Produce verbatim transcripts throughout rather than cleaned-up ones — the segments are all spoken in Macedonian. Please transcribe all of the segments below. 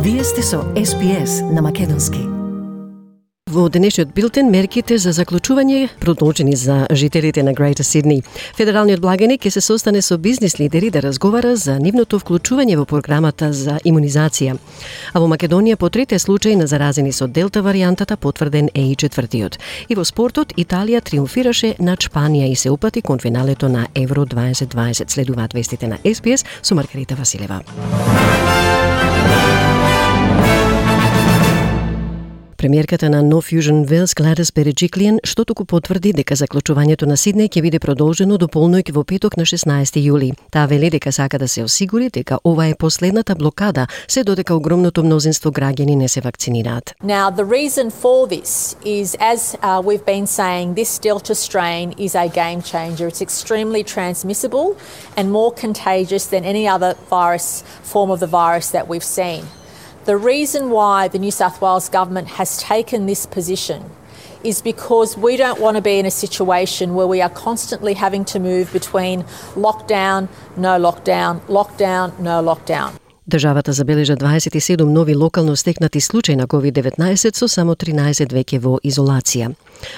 Вие сте со Ес Би Ес на македонски. Во денешниот билтен мерките за заклучување продолжени за жителите на Greater Sydney. Федералниот благаник ќе се состане со бизнис лидери да разговара за нивното вклучување во програмата за имунизација. А во Македонија по третиот случај на заразени со Делта варијантата потврден е и четвртиот. И во спортот Италија триумфираше над Шпанија и се упати кон финалето на Евро дваесет дваесет. Следуваат вестите на Ес Би Ес со Маргарита Василева. Премиерката на No Fusion Wales Gladys Berejiklian што туку потврди дека заклучувањето на Сиднеј ќе биде продолжено до полноќ во петок на шеснаесети јули. Таа вели дека сака да се осигури дека ова е последната блокада, се додека огромното мнозинство граѓани не се вакцинираат. Now the reason for this is, as uh, we've been saying, this Delta strain is a game changer. It's extremely transmissible and more contagious than any other virus form of the virus that we've seen. The reason why the New South Wales government has taken this position is because we don't want to be in a situation where we are constantly having to move between lockdown, no lockdown, lockdown, no lockdown. Државата забележа дваесет и седум нови локално стекнати случаи на ковид деветнаесет со само тринаесет веќе во изолација.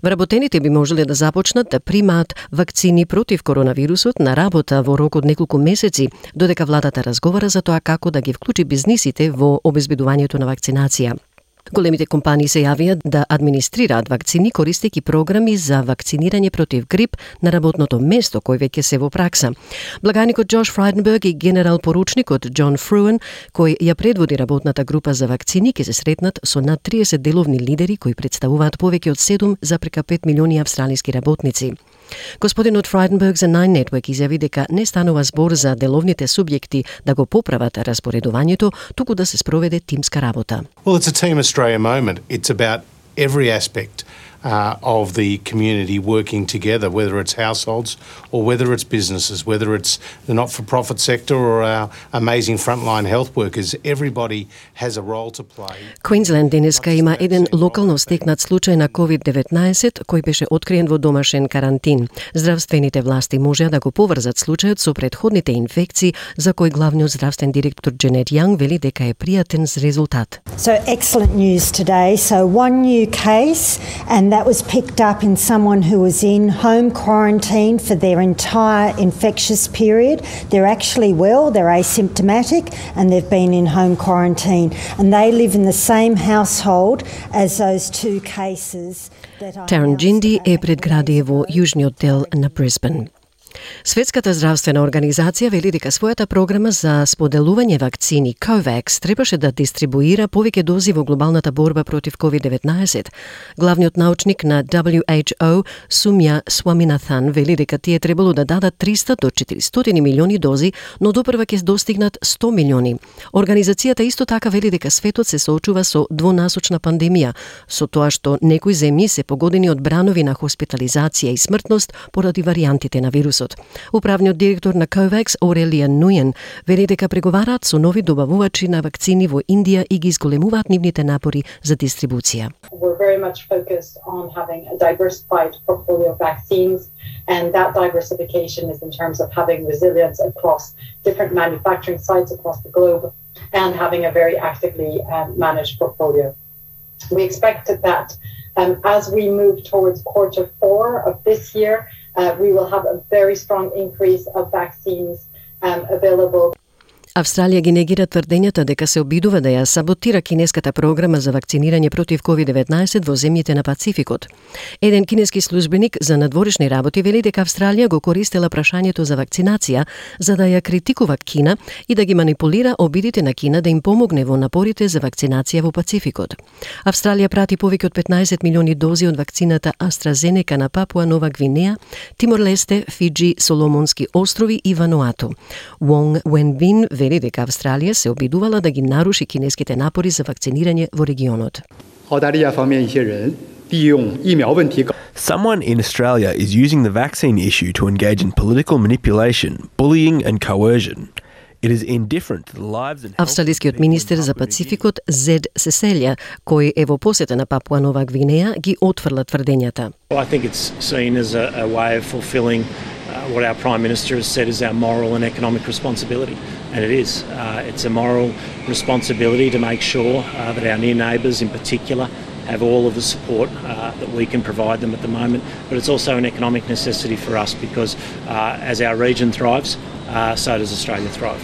Вработените би можеле да започнат да примаат вакцини против коронавирусот на работа во рок од неколку месеци, додека владата разговара за тоа како да ги вклучи бизнисите во обезбедувањето на вакцинација. Големите компании се јавија да администрираат вакцини користејќи програми за вакцинирање против грип на работното место, кој веќе се во пракса. Благаникот Джош Фрайденберг и генерал поручникот Џон Фруен, кој ја предводи работната група за вакцини, ќе се сретнат со над триесет деловни лидери кои представуваат повеќе од седум зарез пет милиони австралиски работници. Господинот Фрайденберг за Nine Network изјави дека не станува збор за деловните субјекти да го поправат распоредувањето, туку да се спроведе тимска работа. Well, it's a Team Australia moment. It's about every aspect uh, of the community working together, whether it's households or whether it's businesses, whether it's the not-for-profit sector or our amazing frontline health workers. Everybody has a role to play. Квинсленд денеска има еден локално стекнат случај на ковид деветнаесет кој беше откриен во домашен карантин. Здравствените власти можеа да го поврзат случајот со претходните инфекции, за кој главниот здравствен директор Дженет Јанг вели дека е пријатен с резултат. So excellent news today. So one new case, and that was picked up in someone who was in home quarantine for their entire infectious period. They're actually well, they're asymptomatic, and they've been in home quarantine. And they live in the same household as those two cases that I... Tarrangindi е предградие во јужниот дел на Брисбен. Светската здравствена организација вели дека својата програма за споделување вакцини COVAX требаше да дистрибуира повеќе дози во глобалната борба против ковид деветнаесет. Главниот научник на дабљу еич о Сумја Сваминатхан вели дека тие требало да дадат триста до четиристотини милиони дози, но допрва ќе достигнат сто милиони. Организацијата исто така вели дека светот се соочува со двонасочна пандемија, со тоа што некои земји се погодени од бранови на хоспитализација и смртност поради варијантите на вирусот. Управниот директор на COVAX, Орелија Нујен, вели дека преговараат со нови добавувачи на вакцини во Индија и ги изголемуваат нивните напори за дистрибуција. We're very much focused on having a diversified portfolio of vaccines, and that diversification is in terms of having resilience across different manufacturing sites across the globe and having a very actively um, managed portfolio. We expect that um, as we move towards quarter four of this year, Uh, we will have a very strong increase of vaccines um, available. Австралија ги негира тврдењата дека се обидува да ја саботира кинеската програма за вакцинирање против ковид деветнаесет во земјите на Пацификот. Еден кинески службеник за надворешни работи вели дека Австралија го користела прашањето за вакцинација за да ја критикува Кина и да ги манипулира обидите на Кина да им помогне во напорите за вакцинација во Пацификот. Австралија прати повеќе од петнаесет милиони дози од вакцината AstraZeneca на Папуа Нова Гвинеја, Тимор-Лесте, Фиджи, Соломонски острови и Вануату. Вонг Уенбин вели дека Австралија се обидувала да ги наруши кинеските напори за вакцинирање во регионот. Someone in Australia is using the vaccine issue to engage in political manipulation, bullying and coercion. It is indifferent to the lives and Австралискиот министер за Пацификот Зед Сеселја, кој е во посета на Папуа Нова Гвинеја, ги отфрла тврдењата. I think it's seen as a, a way of fulfilling uh, what our Prime Minister has said is our moral and economic responsibility. and it is. Uh, it's a moral responsibility to make sure uh, that our near neighbours in particular have all of the support uh, that we can provide them at the moment, but it's also an economic necessity for us because uh, as our region thrives, uh, so does Australia thrive.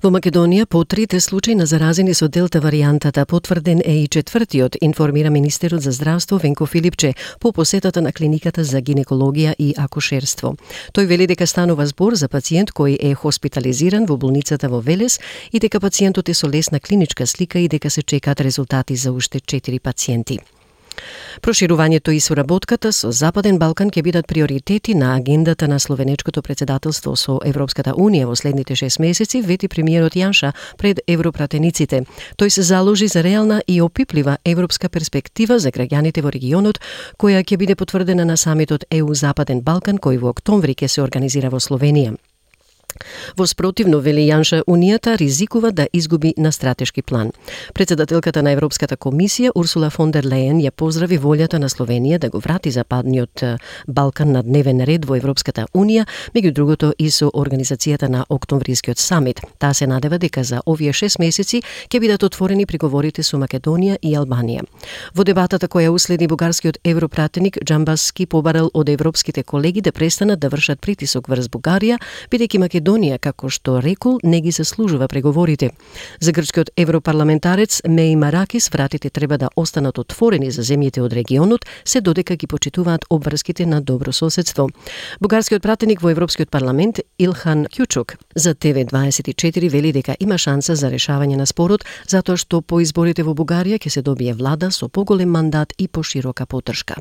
Во Македонија по трите случаи на заразени со делта варијантата потврден е и четвртиот, информира министерот за здравство Венко Филипче по посетата на клиниката за гинекологија и акушерство. Тој вели дека станува збор за пациент кој е хоспитализиран во болницата во Велес и дека пациентот е со лесна клиничка слика и дека се чекаат резултати за уште четири пациенти. Проширувањето и соработката со Западен Балкан ќе бидат приоритети на агендата на словенечкото председателство со Европската Унија во следните шест месеци, вети премиерот Јанша пред европратениците. Тој се заложи за реална и опиплива европска перспектива за граѓаните во регионот, која ќе биде потврдена на самитот Е У Западен Балкан, кој во октомври ќе се организира во Словенија. Во спротивно, вели Јанша, Унијата ризикува да изгуби на стратешки план. Председателката на Европската комисија Урсула фон дер Лејен ја поздрави волјата на Словенија да го врати Западниот Балкан на дневен ред во Европската Унија, меѓу другото и со организацијата на октомврискиот самит. Таа се надева дека за овие шест месеци ќе бидат отворени преговорите со Македонија и Албанија. Во дебатата која уследи, бугарскиот европратеник Џамбаски побарал од европските колеги да престанат да вршат притисок врз Бугарија, бидејќи Македонија, како што рекол, не ги заслужува преговорите. За грчкиот европарламентарец Меи Маракис вратите треба да останат отворени за земјите од регионот, се додека ги почитуваат обврските на добро соседство. Бугарскиот пратеник во Европскиот парламент Илхан Кјучук за Т В дваесет и четири вели дека има шанса за решавање на спорот, затоа што по изборите во Бугарија ќе се добие влада со поголем мандат и поширока поддршка.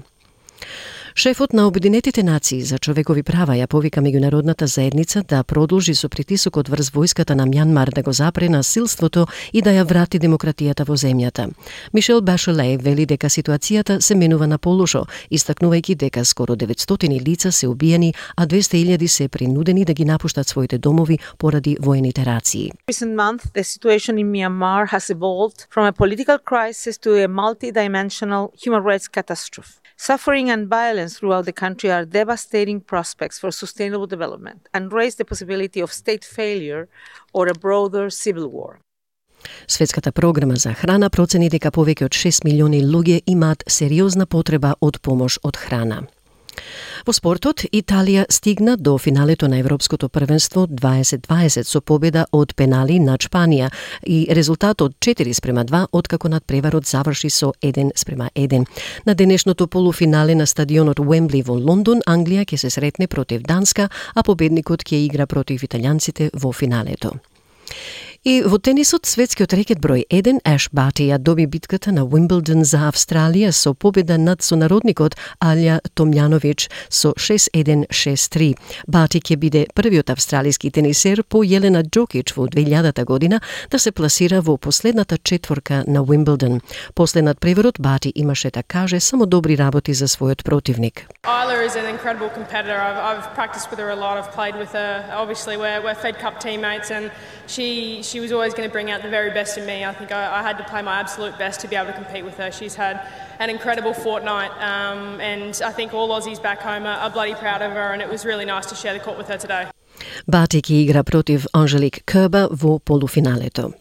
Шефот на Обединетите нации за човекови права ја повика меѓународната заедница да продолжи со притисокот врз војската на Мјанмар да го запре насилството и да ја врати демократијата во земјата. Мишел Башеле вели дека ситуацијата се менува на полошо, истакнувајќи дека скоро деветстотини лица се убиени, а двесте илјади се принудени да ги напуштат своите домови поради воените рации. Recent month, the situation in Myanmar has evolved from a political crisis to a multi-dimensional human rights catastrophe. Suffering and violence throughout the country are devastating prospects for sustainable development and raise the possibility of state failure or a broader civil war. Светската програма за храна процени дека повеќе од шест милиони луѓе имаат сериозна потреба од помош од храна. Во спортот, Италија стигна до финалето на Европското првенство дваесет дваесет со победа од пенали над Шпанија и резултатот четири спрема два, откако надпреварот заврши со еден спрема еден. На денешното полуфинале на стадионот Уембли во Лондон, Англија ќе се сретне против Данска, а победникот ќе игра против италијанците во финалето. И во тенисот, светскиот рекет број еден Еш Бати ја доби битката на Уимблдон за Австралија со победа над сонародникот Алја Томјановиќ со шест еден шест три. Бати ќе биде првиот австралиски тенисер по Јелена Џокич во две илјадата година да се пласира во последната четворка на Уимблдон. После надпреварот Бати имаше, да каже, само добри работи за својот противник. Isla is an incredible competitor. I've, I've practiced with her a lot. I've played with her. Obviously, we're, we're Fed Cup teammates, and she she was always going to bring out the very best in me. I think I, I had to play my absolute best to be able to compete with her. She's had an incredible fortnight, um, and I think all Aussies back home are, are bloody proud of her, and it was really nice to share the court with her today. Бати ќе игра против Анжелик Кербер во полуфиналето.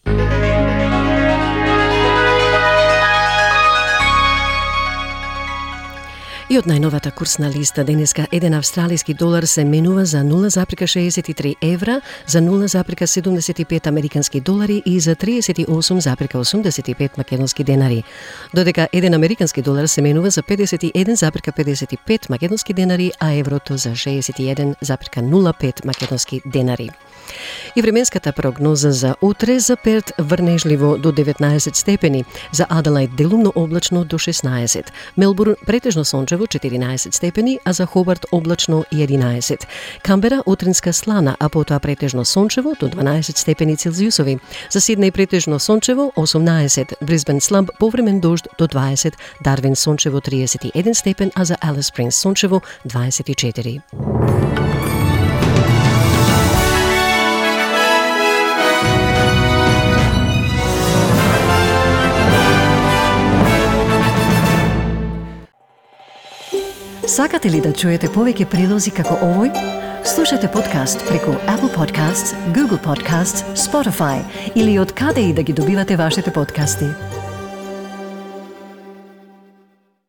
И од најновата курсна листа денеска еден австралиски долар се менува за нула зарез шеесет и три евра, за нула зарез седумдесет и пет американски долари и за триесет и осум зарез осумдесет и пет македонски денари. Додека еден американски долар се менува за педесет и еден зарез педесет и пет македонски денари, а еврото за шеесет и еден зарез нула пет македонски денари. И временската прогноза за утре: за Перт врнежливо до деветнаесет степени, за Аделаид делумно облачно до шеснаесет, Мелбурн претежно сончево четиринаесет степени, а за Хобарт облачно и единаесет, Камбера утринска слана, а потоа претежно сончево до дванаесет степени Целзиусови, за Сиднеј претежно сончево осумнаесет, Брисбен слаб повремен дожд до дваесет, Дарвин сончево триесет и еден степен, а за Алис Спрингс сончево дваесет и четири. Сакате ли да чуете повеќе прилози како овој? Слушате подкаст преку Apple Podcasts, Google Podcasts, Spotify или од каде и да ги добивате вашите подкасти.